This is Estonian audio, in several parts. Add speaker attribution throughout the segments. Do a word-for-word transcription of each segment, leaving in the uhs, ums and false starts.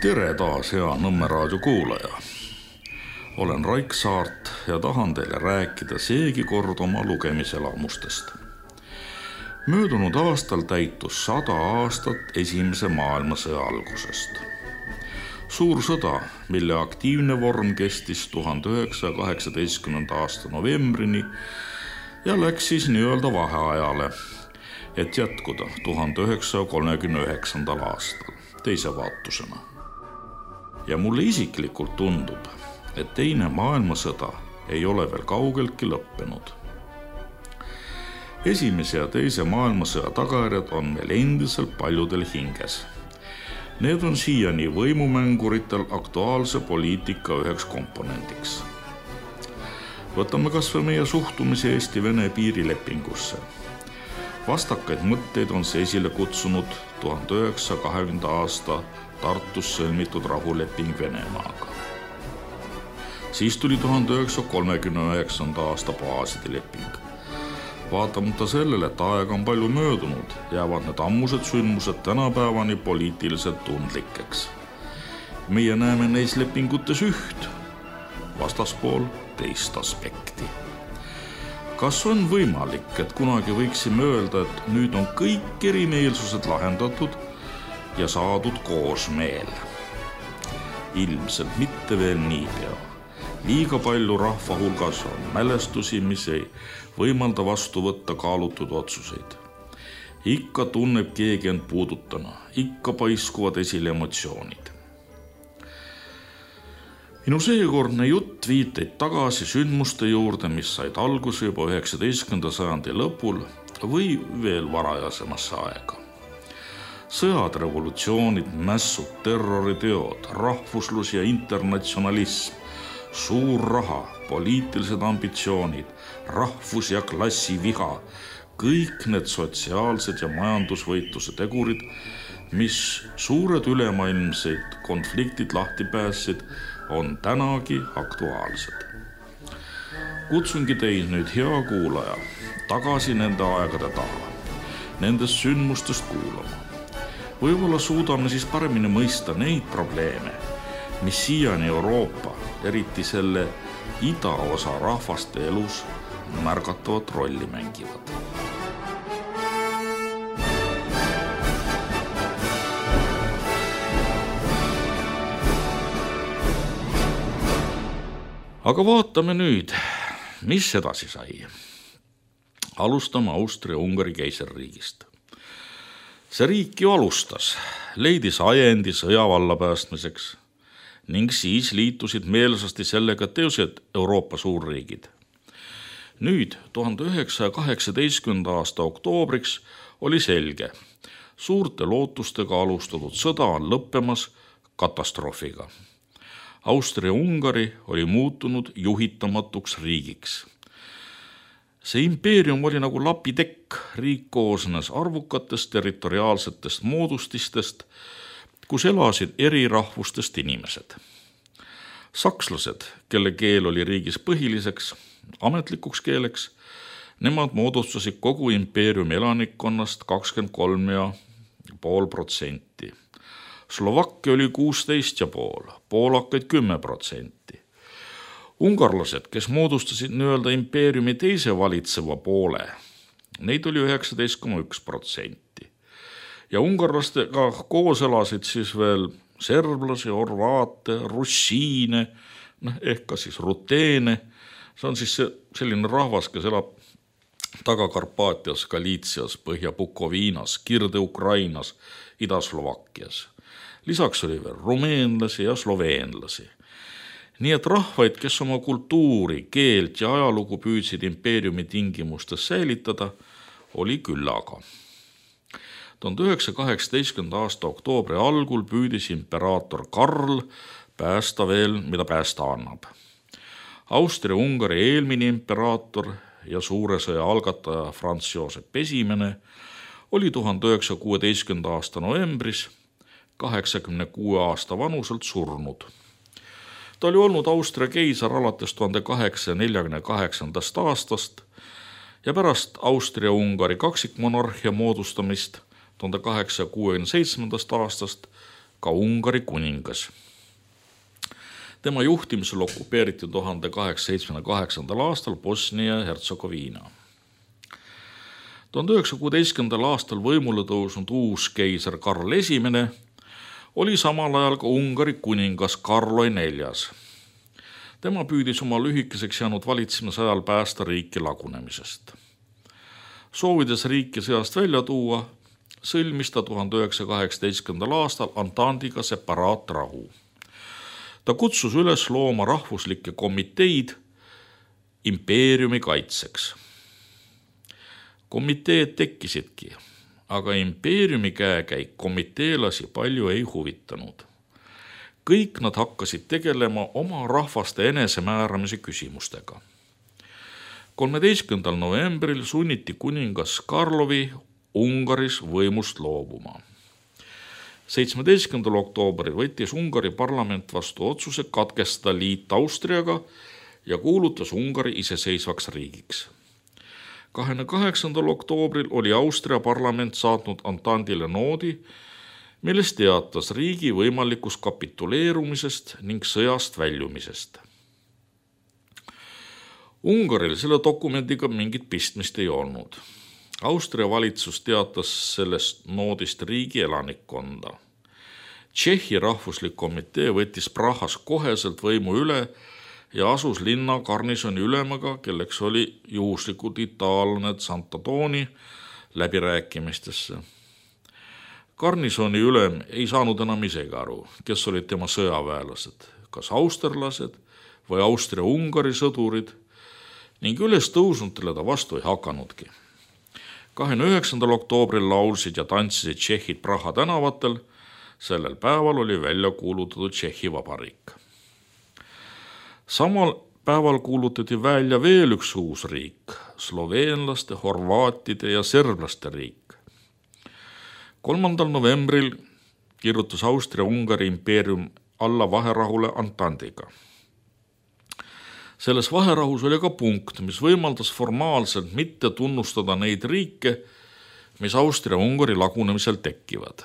Speaker 1: Tere taas, hea Nõmme raadio kuulaja. Olen Raik Saart ja tahan teile rääkida seegi kord oma lugemiselamustest. Möödunud aastal täitus sada aastat esimese maailmasõja algusest. Suur sõda, mille aktiivne vorm kestis tuhande üheksasaja kaheksateistkümnenda aasta novembrini ja läks siis nii-öelda vaheajale, et jätkuda tuhande üheksasaja kolmekümne üheksandal aastal teise vaatusena. Ja mulle isiklikult tundub, et teine maailmasõda ei ole veel kaugeltki lõppenud. Esimese ja teise maailmasõja tagajärjed on meil endiselt paljudel hinges. Need on siiani võimumänguritel aktuaalse poliitika üheks komponendiks. Võtame kas või meie suhtumise Eesti-Vene piirilepingusse. Vastakaid mõtteid on see esile kutsunud tuhande üheksasaja kahekümnenda aasta Tartus sõlmitud rahuleping Venemaaga. Siis tuli tuhande üheksasaja kolmekümne üheksanda aasta baaside leping. Vaatamata sellele, et aega on palju möödunud, jäävad need ammused sündmused tänapäevani poliitiliselt tundlikeks. Meie näeme neis lepingutes üht, vastaspool teist aspekti. Kas on võimalik, et kunagi võiksime öelda, et nüüd on kõik erimeelsused lahendatud ja saadud koosmeel? Ilmselt mitte veel niipea. Liiga palju rahva hulgas on mälestusi, mis ei võimalda vastu võtta kaalutud otsuseid. Ikka tunneb keegi end puudutana, ikka paiskuvad esile emotsioonid. Minu seekordne jutt viiteid tagasi sündmuste juurde, mis said alguse juba üheksateistkümnenda sajandi lõpul või veel varajasemasse aega. Sõjad, revolutsioonid, mässud, terroriteod, rahvuslus ja internatsionalism, suur raha, poliitilised ambitsioonid, rahvus- ja klassiviha, kõik need sotsiaalsed ja majandusvõitluse tegurid, mis suured ülemaailmseid konfliktid lahti päässid, on tänagi aktuaalsed. Kutsungi teid nüüd, hea kuulaja, tagasi nende aegade taha, nendest sündmustest kuulama. Võib-olla suudame siis paremini mõista neid probleeme, mis siiani Euroopa, eriti selle idaosa rahvaste elus märgatavat rolli mängivad. Aga vaatame nüüd, mis edasi sai. Alustame Austria-Ungari keisririigist. See riik ju alustas, leidis ajendi sõja valla päästmiseks ning siis liitusid meelsasti sellega teised Euroopa suurriigid. Nüüd, tuhande üheksasaja kaheksateistkümnenda aasta oktoobriks oli selge, suurte lootustega alustatud sõda on lõppemas katastroofiga. Austria-Ungari oli muutunud juhitamatuks riigiks. See impeerium oli nagu lapitekk, riik koosnes arvukatest territoriaalsetest moodustistest, kus elasid eri rahvustest inimesed. Sakslased, kelle keel oli riigis põhiliseks, ametlikuks keeleks, nemad moodustasid kogu impeeriumi elanikkonnast kakskümmend kolm ja pool protsenti. Slovakkia oli kuusteist ja pool, poolakaid kümme protsenti. Ungarlased, kes moodustasid nii-öelda impeeriumi teise valitseva poole, neid oli üheksateist koma üks protsenti. Ja ungarlastega koos elasid siis veel serblasi, horvaate, russiine, ehk ka siis ruteene. See on siis selline rahvas, kes elab Taga-Karpaatias, Galiitsias, Põhja-Bukoviinas, Kirde-Ukrainas, Ida-Slovakkias. Lisaks oli veel rumeenlasi ja sloveenlasi. Nii et rahvaid, kes oma kultuuri, keelt ja ajalugu püüdsid impeeriumi tingimustes säilitada, oli küllaga. tuhande üheksasaja kaheksateistkümnenda aasta oktoobri algul püüdis imperaator Karl päästa veel, mida päästa annab. Austria-Ungari eelmine imperaator ja suure sõja algataja Franz Josep Esimene oli tuhande üheksasaja kuueteistkümnenda aasta novembris kaheksakümne kuue aasta vanuselt surnud. Ta oli olnud Austria keisar alates tuhande kaheksasaja neljakümne kaheksandast aastast ja pärast Austria-Ungari kaksikmonarhia moodustamist tuhande kaheksasaja kuuekümne seitsmendast aastast ka Ungari kuningas. Tema juhtimisel okupeeriti tuhande kaheksasaja seitsmekümne kaheksandal aastal Bosnia ja Hertsegoviina. tuhande üheksasaja kuueteistkümnendal aastal võimule tõusnud uus keiser Karl Esimene oli samal ajal ka Ungari kuningas Karloi neljas. Tema püüdis oma lühikeseks jäänud valitsemise ajal päästa riiki lagunemisest. Soovides riiki sõjast välja tuua, sõlmis ta tuhande üheksasaja kaheksateistkümnendal aastal Antandiga separaatrahu. Ta kutsus üles looma rahvuslikke komiteid impeeriumi kaitseks. Komiteed tekkisidki, aga impeeriumi käekäik komiteelasi palju ei huvitanud. Kõik nad hakkasid tegelema oma rahvaste enesemääramise küsimustega. kolmeteistkümnendal novembril sunniti kuningas Karlovi Ungaris võimust loobuma. seitsmeteistkümnendal oktoobril võttis Ungari parlament vastu otsuse katkestada liit Austriaga ja kuulutas Ungari iseseisvaks riigiks. kahekümne kaheksandal oktoobril oli Austria parlament saatnud Antandile noodi, milles teatas riigi võimalikust kapituleerumisest ning sõjast väljumisest. Ungaril selle dokumendiga mingit pistmist ei olnud. Austria valitsus teatas sellest noodist riigi elanikkonda. Tšehhi rahvuslik komitee võttis Prahas koheselt võimu üle ja asus linna garnisoni ülemaga, kelleks oli juhuslikult itaallane Santadoni, läbirääkimistesse. Garnisoni ülem ei saanud enam isegi aru, kes olid tema sõjaväelased, kas austerlased või Austria-Ungari sõdurid, ning üles tõusnutele ta vastu ei hakanudki. kahekümne üheksandal oktoobril laulsid ja tantsisid tšehhid Praha tänavatel, sellel päeval oli välja kuulutatud Tšehhi Vabariik. Samal päeval kuulutati välja veel üks uus riik, sloveenlaste, horvaatide ja serblaste riik. kolmandal novembril kirjutas Austria-Ungari impeerium alla vaherahule Antandiga. Selles vaherahus oli ka punkt, mis võimaldas formaalselt mitte tunnustada neid riike, mis Austria-Ungari lagunemisel tekkivad.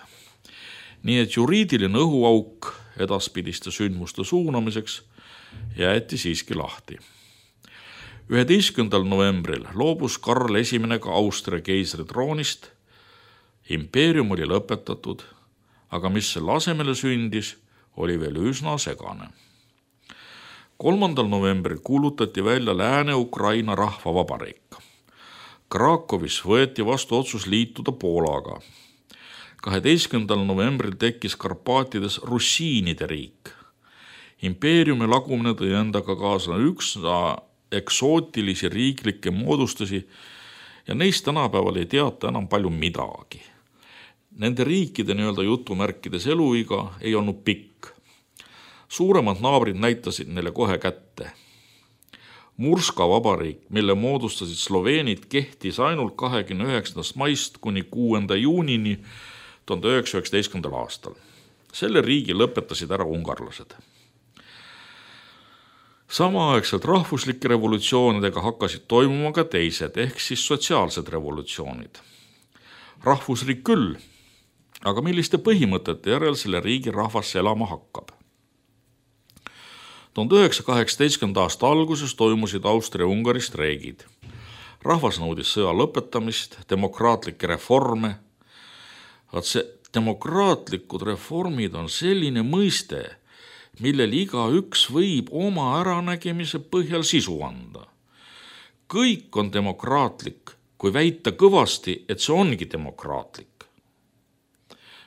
Speaker 1: Nii et juriidiline õhuauk edaspidiste sündmuste suunamiseks jäeti siiski lahti. üheteistkümnendal novembril loobus Karl Esimene ka Austria keisri troonist. Impeerium oli lõpetatud, aga mis selle asemele sündis, oli veel üsna segane. kolmandal novembril kuulutati välja Lääne-Ukraina rahvavabariik. Krakowis võeti vastu otsus liituda Poolaga. kaheteistkümnendal novembril tekkis Karpaatides russiinide riik. Impeeriumi lagumine tõi endaga kaasa üks eksootilisi riiklikke moodustusi ja neist tänapäeval ei teata enam palju midagi. Nende riikide nii-öelda jutumärkides eluiga ei olnud pikk. Suuremad naabrid näitasid neile kohe kätte. Murska vabariik, mille moodustasid sloveenid, kehtis ainult kahekümne üheksandast maist kuni kuuenda juunini tuhande üheksasaja üheksateistkümnendal aastal. Selle riigi lõpetasid ära ungarlased. Samaaegselt rahvuslike revolutsioonidega hakkasid toimuma ka teised, ehk siis sotsiaalsed revolutsioonid. Rahvusriik küll, aga milliste põhimõtete järel selle riigi rahvas elama hakkab? tuhande üheksasaja kaheksateistkümnenda aasta alguses toimusid Austria-Ungari streigid. Rahvas nõudis sõja lõpetamist, demokraatlikke reforme. Vaat see demokraatlikud reformid on selline mõiste, millel igaüks võib oma äranägemise põhjal sisu anda. Kõik on demokraatlik, kui väita kõvasti, et see ongi demokraatlik.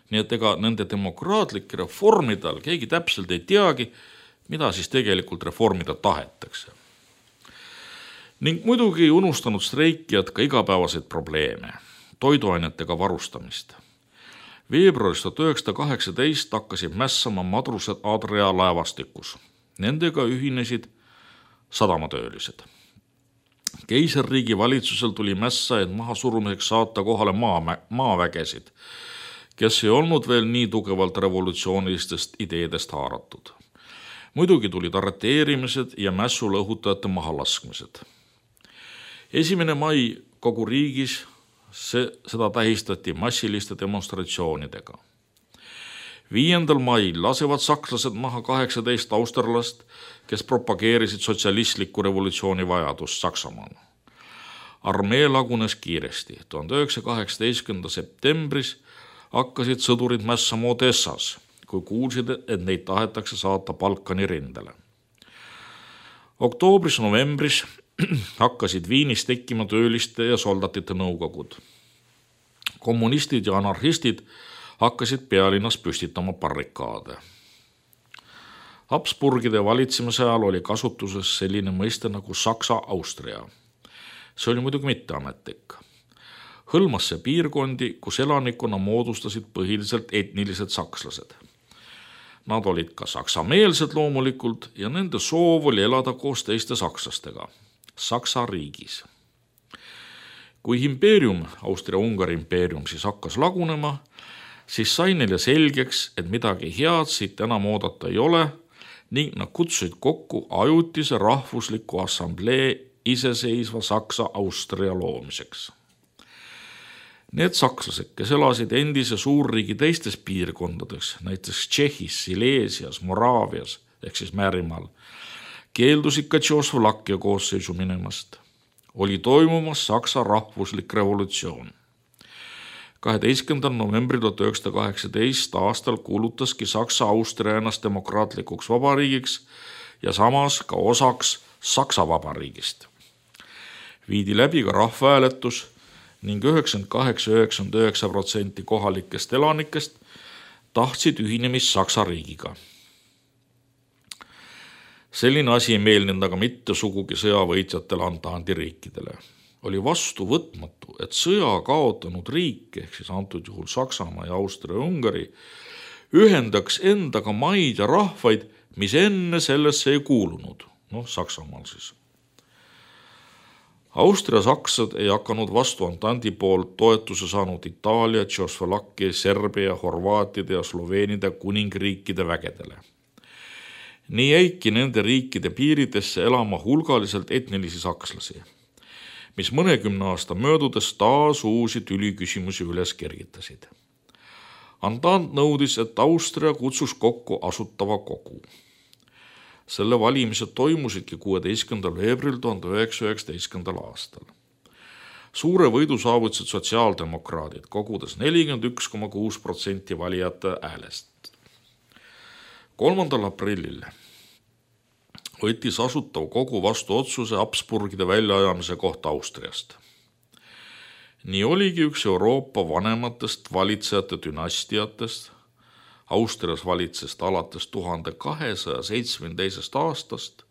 Speaker 1: Nii et ega nende demokraatlike reformide all keegi täpselt ei teagi, mida siis tegelikult reformida tahetakse. Ning muidugi ei unustanud streikijad ka igapäevaseid probleeme, toiduainetega varustamist. Veebruaris tuhat üheksasada kaheksateist hakkasid mässama madrused Adria laevastikus. Nendega ühinesid sadamatöölised. Keisririigi valitsusel tuli mässajaid maha surumiseks saata kohale maa, maavägesid, kes ei olnud veel nii tugevalt revolutsioonilistest ideedest haaratud. Muidugi tulid arreteerimised ja mässule õhutajate mahalaskmised. esimene mai kogu riigis see, seda tähistati massiliste demonstratsioonidega. viiendal mail lasevad sakslased maha kaheksateist austerlast, kes propageerisid sotsialistliku revolutsiooni vajadust Saksamaal. Armee lagunes kiiresti. tuhande üheksasaja kaheksateistkümnenda septembris hakkasid sõdurid mässama Odessas, kui kuulsid, et neid tahetakse saata Balkani rindele. Oktoobris-novembris hakkasid Viinis tekkima tööliste ja soldatite nõukogud. Kommunistid ja anarhistid hakkasid pealinnas püstitama barrikaade. Habsburgide valitsemise ajal oli kasutuses selline mõiste nagu Saksa-Austria. See oli muidugi mitte ametlik. Hõlmas see piirkondi, kus elanikkonna moodustasid põhiliselt etnilised sakslased. Nad olid ka saksameelsed loomulikult ja nende soov oli elada koos teiste sakslastega Saksa riigis. Kui impeerium, Austria-Ungari impeerium siis hakkas lagunema, siis sai neile selgeks, et midagi head siit enam oodata ei ole ning nad kutsusid kokku ajutise rahvusliku assamblee iseseisva Saksa-Austria loomiseks. Need sakslased, kes elasid endise suurriigi teistes piirkondades, näiteks Tšehhis, Sileesias, Moraavias ehk siis Määrimaal, keeldusid ka Tšehhoslovakkia koosseisu minemast. Oli toimumas Saksa rahvuslik revolutsioon. kaheteistkümnendal novembril tuhat üheksasada kaheksateist aastal kuulutaski Saksa-Austria ennast demokraatlikuks vabariigiks ja samas ka osaks Saksa vabariigist. Viidi läbi ka rahvahääletus ning üheksakümmend kaheksa koma üheksakümmend üheksa protsenti kohalikest elanikest tahtsid ühinemist Saksa riigiga. Selline asi ei meeldinud aga mitte sugugi sõjavõitjatele Antandi riikidele. Oli vastu võtmatu, et sõja kaotanud riik, ehk siis antud juhul Saksamaa ja Austria-Ungari, ühendaks endaga maid ja rahvaid, mis enne sellesse ei kuulunud. Noh, Saksamaal siis. Austria-saksad ei hakanud vastu Antandi poolt toetuse saanud Itaalia, Tšehhoslovakkia, Serbia, Horvaatide ja Sloveenide kuningriikide vägedele. Nii jäiki nende riikide piiridesse elama hulgaliselt etnilisi sakslasi, mis mõnekümne aasta möödudes taas uusi tüliküsimusi üles kergitasid. Antant nõudis, et Austria kutsus kokku asutava kogu. Selle valimised toimusidki kuueteistkümnendal veebruaril tuhande üheksasaja üheksateistkümnendal aastal. Suure võidu saavutasid sotsiaaldemokraadid, kogudes nelikümmend üks koma kuus protsenti valijate häälest. kolmandal aprillil võttis asutav kogu vastu otsuse Habsburgide väljaajamise kohta Austriast. Nii oligi üks Euroopa vanematest valitsejate dünastiatest, Austrias valitsest alates tuhande kahesaja seitsmekümne teisest aastast,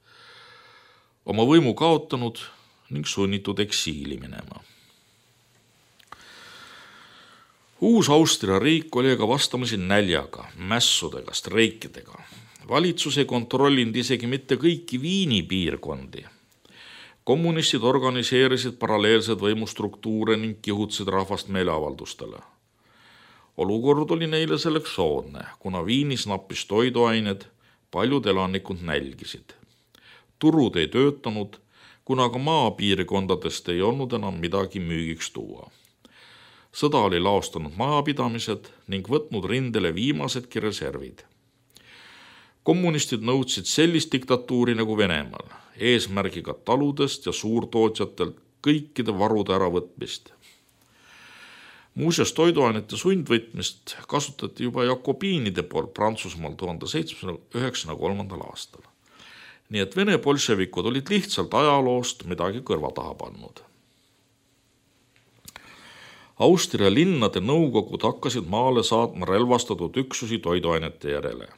Speaker 1: oma võimu kaotanud ning sunnitud eksiili minema. Uus Austria riik oli aga vastamisi näljaga, mässudega, streikidega. Valitsus ei kontrollinud isegi mitte kõiki Viini piirkondi. Kommunistid organiseerisid paralleelseid võimustruktuure ning kihutasid rahvast meeleavaldustele. Olukord oli neile selleks soodne, kuna Viinis nappis toiduained, paljud elanikud nälgisid. Turud ei töötanud, kuna ka maapiirkondadest ei olnud enam midagi müügiks tuua. Sõda oli laostanud majapidamised ning võtnud rindele viimasedki reservid. Kommunistid nõudsid sellist diktatuuri nagu Venemaal, eesmärgiga taludest ja suurtootjatelt kõikide varude äravõtmist. Muuseas, toiduainete sundvõtmist kasutati juba jakobiinide poolt Prantsusmaal tuhande seitsmesaja üheksakümne kolmandal aastal. Nii et Vene bolševikud olid lihtsalt ajaloost midagi kõrva taha pannud. Austria linnade nõukogud hakkasid maale saatma relvastatud üksusi toiduainete järele.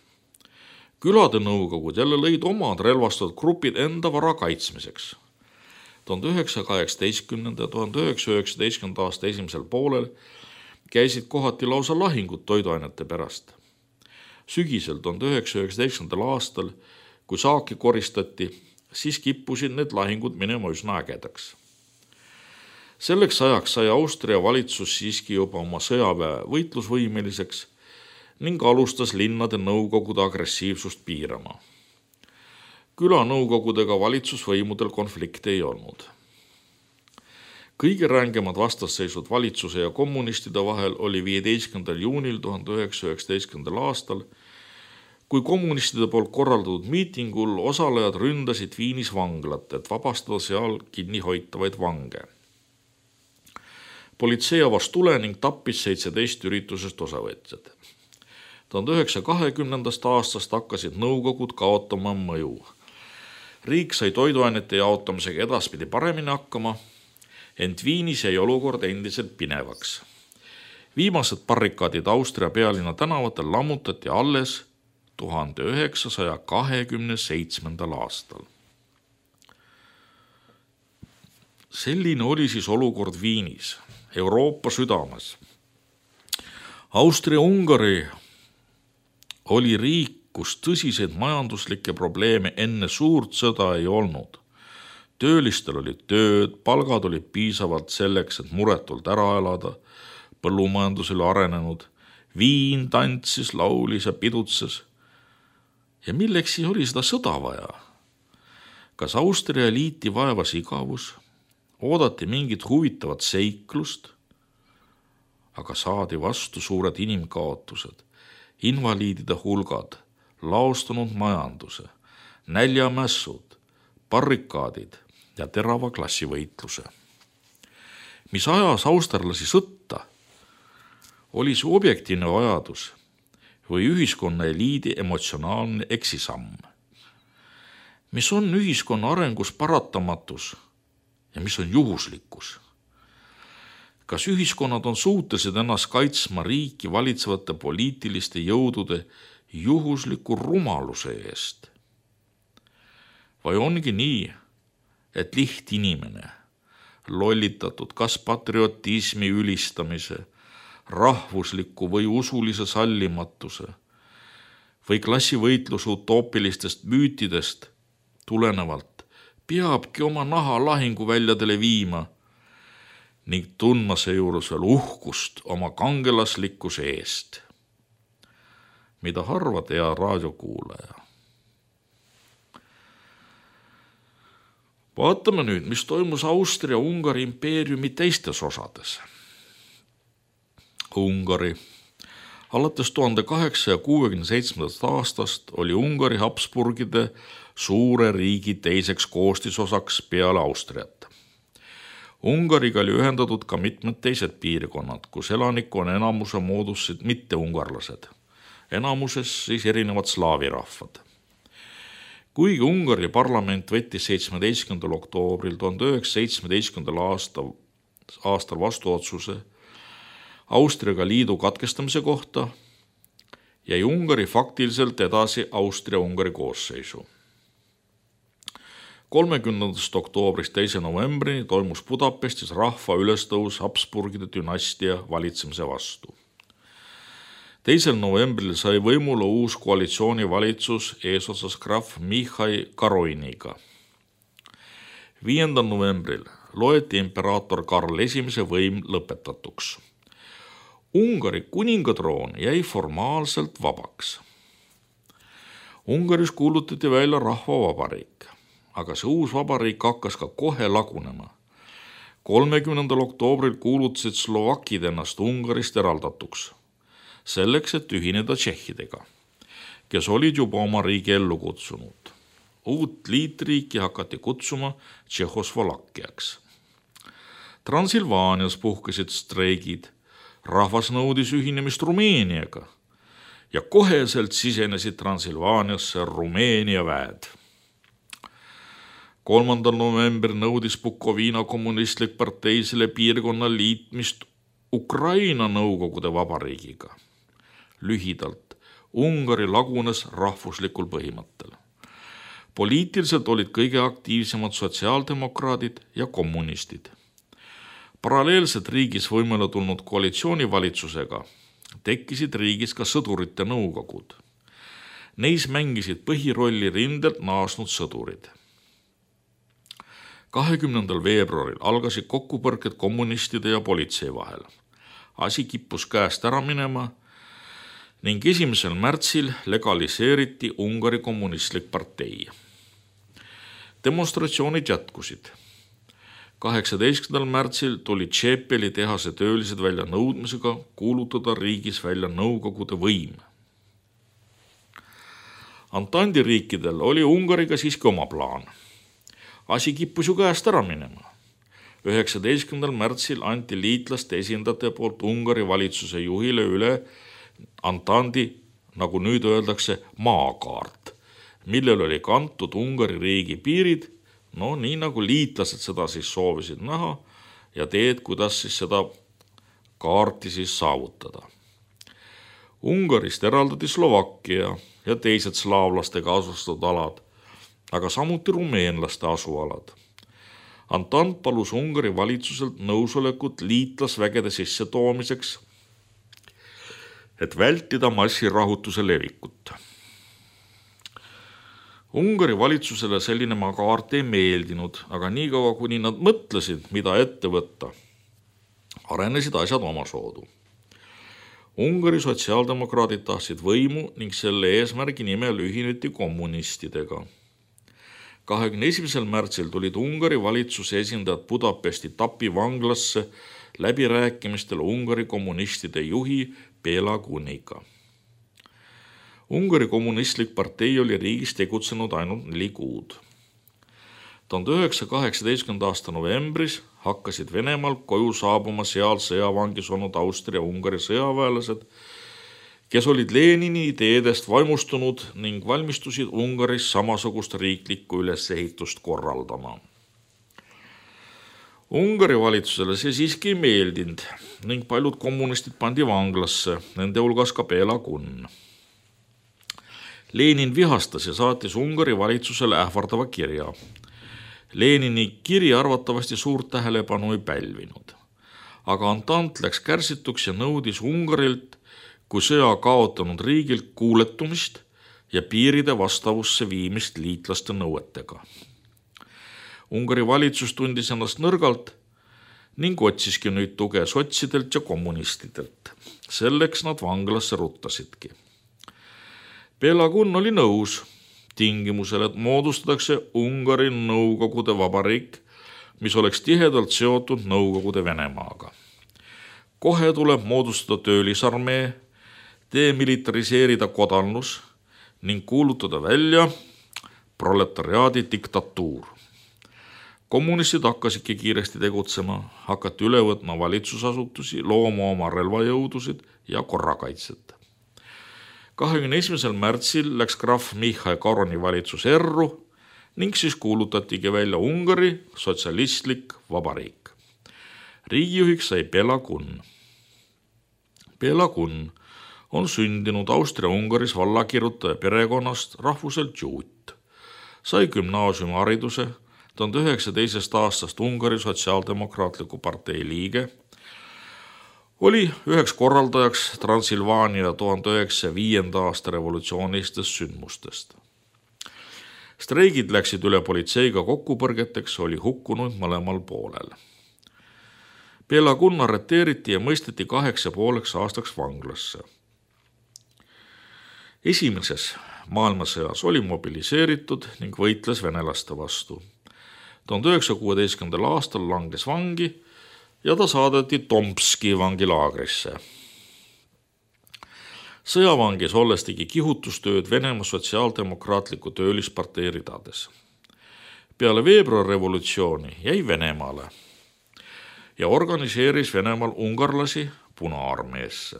Speaker 1: Külade nõukogud jälle lõid omad relvastatud grupid enda vara kaitsmiseks. tuhande üheksasaja kaheksateistkümnenda ja tuhande üheksasaja üheksateistkümnenda aasta esimesel poolel käisid kohati lausa lahingud toiduainete pärast. Sügisel tuhande üheksasaja üheksateistkümnendal aastal, kui saaki koristati, siis kippusid need lahingud minema üsna ägedaks. Selleks ajaks sai Austria valitsus siiski juba oma sõjaväe võitlusvõimeliseks ning alustas linnade nõukogude agressiivsust piirama. Külanõukogudega valitsusvõimudel konflikte ei olnud. Kõige rängemad vastasseisud valitsuse ja kommunistide vahel oli viieteistkümnendal juunil tuhande üheksasaja üheksateistkümnendal aastal, kui kommunistide poolt korraldatud miitingul osalejad ründasid Viinis vanglat, et vabastada seal kinni hoitavaid vange. Politsei avas tule ning tappis seitseteist üritusest osavõtjad. tuhande üheksasaja kahekümnendast aastast hakkasid nõukogud kaotama mõju. Riik sai toiduainete jaotamisega edaspidi paremini hakkama, ent Viinis jäi olukord endiselt pinevaks. Viimased barrikaadid Austria pealinna tänavatel lammutati alles tuhande üheksasaja kahekümne seitsmendal aastal. Selline oli siis olukord Viinis, Euroopa südames. Austria-Ungari oli riik, kus tõsiseid majanduslikke probleeme enne suurt sõda ei olnud. Töölistel olid tööd, palgad olid piisavalt selleks, et muretult ära elada, põllumajandus oli arenenud, viin tantsis, laulis ja pidutses. Ja milleks siis oli seda sõda vaja? Kas Austria eliiti vaevas igavus? Oodati mingit huvitavat seiklust? Aga saadi vastu suured inimkaotused, invaliidide hulgad, laostunud majanduse, näljamässud, barrikaadid ja terava klassivõitluse. Mis ajas austerlasi sõtta, oli see objektiivne vajadus või ühiskonna eliidi emotsionaalne eksisamm. Mis on ühiskonna arengus paratamatus ja mis on juhuslikkus? Kas ühiskonnad on suutelised ennast kaitsma riiki valitsevate poliitiliste jõudude juhusliku rumaluse eest? Või ongi nii, et lihtinimene, lollitatud kas patriotismi ülistamise, rahvusliku või usulise sallimatuse või klassivõitluse utoopilistest müütidest tulenevalt peabki oma naha lahinguväljadele viima ning tundma seejuures veel uhkust oma kangelaslikkuse eest. Mida harvad hea raadiokuulaja. Vaatame nüüd, mis toimus Austria-Ungari impeeriumi teistes osades. Ungari. Alates tuhande kaheksasaja kuuekümne seitsmendast aastast oli Ungari Habsburgide suure riigi teiseks koostisosaks peale Austriat. Ungariga oli ühendatud ka mitmed teised piirkonnad, kus elanikkonna enamuse moodustasid mitteungarlased, enamuses siis erinevad slaavi rahvad. Kuigi Ungari parlament võttis seitsmeteistkümnendal oktoobril tuhande üheksasaja seitsmeteistkümnendal aastal, aastal vastu otsuse Austriaga liidu katkestamise kohta, jäi Ungari faktiliselt edasi Austria-Ungari koosseisu. kolmekümnendast oktoobrist teise novembrini toimus Budapestis rahva ülestõus Habsburgide dünastia valitsemise vastu. teisel novembril sai võimule uus koalitsioonivalitsus eesotsas krahv Mihhail Karoiniga. viiendal novembril loeti imperaator Karl esimese võim lõpetatuks. Ungari kuningatroon jäi formaalselt vabaks. Ungaris kuulutati välja rahvavabariik, aga see uus vabariik hakkas ka kohe lagunema. kolmekümnendal oktoobril kuulutasid slovakid ennast Ungarist eraldatuks, selleks, et ühineda tšehhidega, kes olid juba oma riigi ellu kutsunud. Uut liitriiki hakati kutsuma Tšehhoslovakkiaks. Transilvaanias puhkesid streigid, rahvas nõudis ühinemist Rumeeniaga ja koheselt sisenesid Transilvaaniasse Rumeenia väed. kolmandal novembril nõudis Bukovina kommunistlik partei selle piirkonna liitmist Ukraina nõukogude vabariigiga. Lühidalt, Ungari lagunes rahvuslikul põhimõttel. Poliitiliselt olid kõige aktiivsemad sotsiaaldemokraadid ja kommunistid. Paralleelselt riigis võimule tulnud koalitsioonivalitsusega tekkisid riigis ka sõdurite nõukogud. Neis mängisid põhirolli rindelt naasnud sõdurid. kahekümnendal veebruaril algasid kokkupõrked kommunistide ja politsei vahel. Asi kippus käest ära minema ning esimesel märtsil legaliseeriti Ungari kommunistlik partei. Demonstratsioonid jätkusid. kaheksateistkümnendal märtsil tuli Tšepeli tehase töölised välja nõudmisega kuulutada riigis välja Nõukogude võim. Antandi riikidel oli Ungariga siiski oma plaan. Asi kippus ju käest ära minema. üheksateistkümnendal märtsil anti liitlaste esindajate poolt Ungari valitsuse juhile üle Antandi, nagu nüüd öeldakse, maakaart, millel oli kantud Ungari riigi piirid, no nii nagu liitlased seda siis soovisid näha ja teed, kuidas siis seda kaarti siis saavutada. Ungarist eraldati Slovakkia ja teised slaavlastega asustatud alad, aga samuti rumeenlaste asualad. Antant palus Ungari valitsuselt nõusolekut liitlasvägede sisse toomiseks, et vältida massirahutuse levikut. Ungari valitsusele selline kaart ei meeldinud, aga niikaua kuni nad mõtlesid, mida ette võtta, arenesid asjad omasoodu. Ungari sotsiaaldemokraadid tahtsid võimu ning selle eesmärgi nimel ühineti kommunistidega. kahekümne esimesel märtsil tulid Ungari valitsuse esindajad Budapesti Tapi vanglasse läbirääkimistel Ungari kommunistide juhi Béla Kuniga. Ungari kommunistlik partei oli riigis tegutsenud ainult neli kuud. tuhande üheksasaja kaheksateistkümnenda aasta novembris hakkasid Venemaal koju saabuma seal sõjavangis olnud Austria-Ungari sõjaväelased, kes olid Lenini ideedest vaimustunud ning valmistusid Ungaris samasugust riiklikku ülesehitust korraldama. Ungari valitsusele see siiski ei meeldinud ning paljud kommunistid pandi vanglasse, nende hulgas ka Béla Kun. Lenin vihastas ja saatis Ungari valitsusele ähvardava kirja. Lenini kiri arvatavasti suurt tähelepanu ei pälvinud, aga Antant läks kärsituks ja nõudis Ungarilt kui sõja kaotanud riigilt kuuletumist ja piiride vastavusse viimist liitlaste nõuetega. Ungari valitsus tundis ennast nõrgalt ning otsiski nüüd tuge sotsidelt ja kommunistidelt. Selleks nad vanglasse ruttasidki. Béla Kun oli nõus tingimusel, et moodustatakse Ungari Nõukogude Vabariik, mis oleks tihedalt seotud Nõukogude Venemaaga. Kohe tuleb moodustada töölisarmee, demilitariseerida kodannus ning kuulutada välja proletariaadi diktatuur. Kommunistid hakkasidki kiiresti tegutsema, hakati üle võtma valitsusasutusi, looma oma relvajõudusid ja korrakaitset. kahekümne esimesel märtsil läks krahv Michal Koroni valitsus erru ning siis kuulutatigi välja Ungari sotsialistlik vabariik. Riigijuhiks sai Béla Kun. Béla Kun on sündinud Austria-Ungaris vallakirjutaja perekonnast rahvuselt juut. Sai gümnaasiumihariduse, tuhande üheksasaja teisest aastast Ungari sotsiaaldemokraatliku partei liige, oli üheks korraldajaks Transilvaania tuhande üheksasaja viienda aasta revolutsioonilistest sündmustest. Streigid läksid üle politseiga kokkupõrgeteks, oli hukkunud mõlemal poolel. Béla Kun arreteeriti ja mõisteti kaheks ja pooleks aastaks vanglasse. Esimeses maailmasõjas oli mobiliseeritud ning võitles venelaste vastu. tuhande üheksasaja kuueteistkümnendal aastal langes vangi ja ta saadeti Tomski vangilaagrisse. Sõjavangis olles tegi kihutustööd Venemaa sotsiaaldemokraatliku töölispartei ridades. Peale veebruarrevolutsiooni jäi Venemaale ja organiseeris Venemaal ungarlasi Punaarmeesse.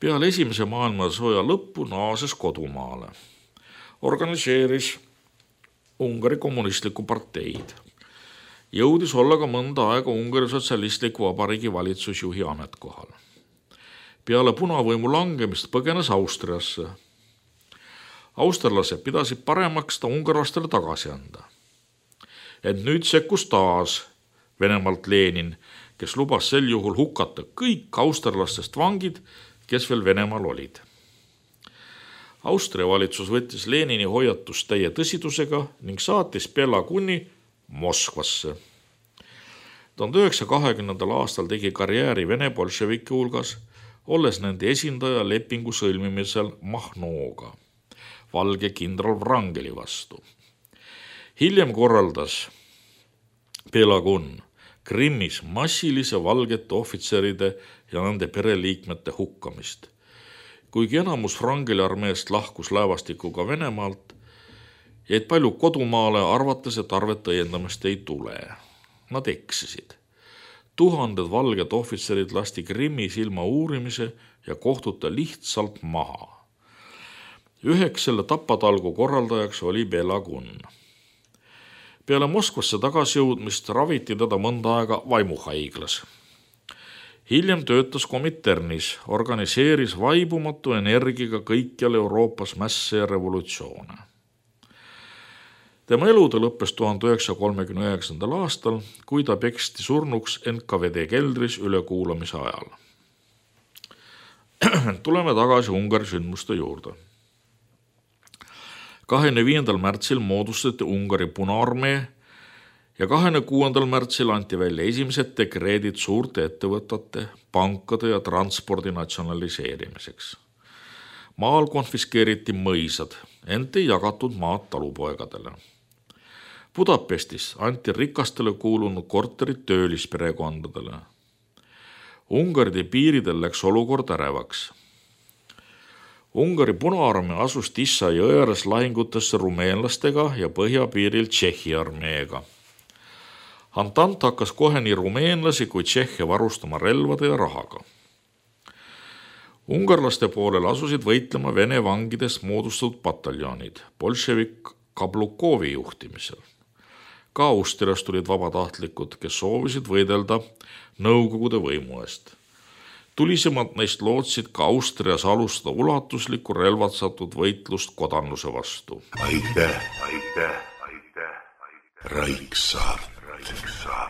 Speaker 1: Peale esimese maailmasõja lõppu naases kodumaale. Organiseeris Ungari kommunistliku parteid. Jõudis olla ka mõnda aega Ungari sotsialistliku vabariigi valitsusjuhi ametkohal. Peale punavõimu langemist põgenes Austriasse. Austerlased pidasid paremaks ta ungarlastele tagasi anda. Et nüüd sekkus taas Venemaalt Lenin, kes lubas sel juhul hukata kõik austerlastest vangid, kes veel Venemaal olid. Austria valitsus võttis Lenini hoiatust täie tõsidusega ning saatis Béla Kuni Moskvasse. tuhande üheksasaja kahekümnendal aastal tegi karjääri Vene bolševiki hulgas, olles nende esindaja lepingu sõlmimisel Mahnooga, valge kindral Wrangeli vastu. Hiljem korraldas Pelagun Krimmis massilise valgete ohvitseride ja nende pereliikmete hukkamist. Kuigi enamus Wrangeli armeest lahkus laevastikuga Venemaalt, jäid palju kodumaale arvates, et arvet õiendamist ei tule. Nad eksisid. Tuhanded valged ohvitserid lasti Krimmis ilma uurimise ja kohtuta lihtsalt maha. Üheks selle tapatalgu korraldajaks oli Pelagun. Peale Moskvasse tagasijõudmist raviti teda mõnda aega vaimuhaiglas. Hiljem töötas Kominternis, organiseeris vaibumatu energiaga kõikjal Euroopas mässe ja revolutsioone. Tema elude lõppes tuhande üheksasaja kolmekümne üheksandal aastal, kui ta peksti surnuks N K V D keldris ülekuulamise ajal. Tuleme tagasi Ungari sündmuste juurde. kahekümne viiendal märtsil moodustati Ungari Punaarmee ja kahekümne kuuendal märtsil anti välja esimesed dekreedid suurte ettevõtete, pankade ja transpordi natsionaliseerimiseks. Maal konfiskeeriti mõisad, ent ei jagatud maad talupoegadele. Budapestis anti rikastele kuulunud korterid töölisperekondadele. Ungari piiridel läks olukord ärevaks. Ungari Punaarmee asus Tissa jõe ääres lahingutesse rumeenlastega ja põhjapiiril Tšehhi armeega. Antant hakkas kohe nii rumeenlasi kui Tšehhe varustama relvade ja rahaga. Ungarlaste poolel asusid võitlema Vene vangidest moodustatud pataljonid bolševik Kablukovi juhtimisel. Ka Austriast tulid vabatahtlikud, kes soovisid võidelda Nõukogude võimu eest. Tulisemad neist lootsid ka Austrias alustada ulatuslikku relvatsatud võitlust kodanluse vastu.
Speaker 2: Aitäh, aitäh, aitäh, aitäh. Raiksaart. Raiksaart.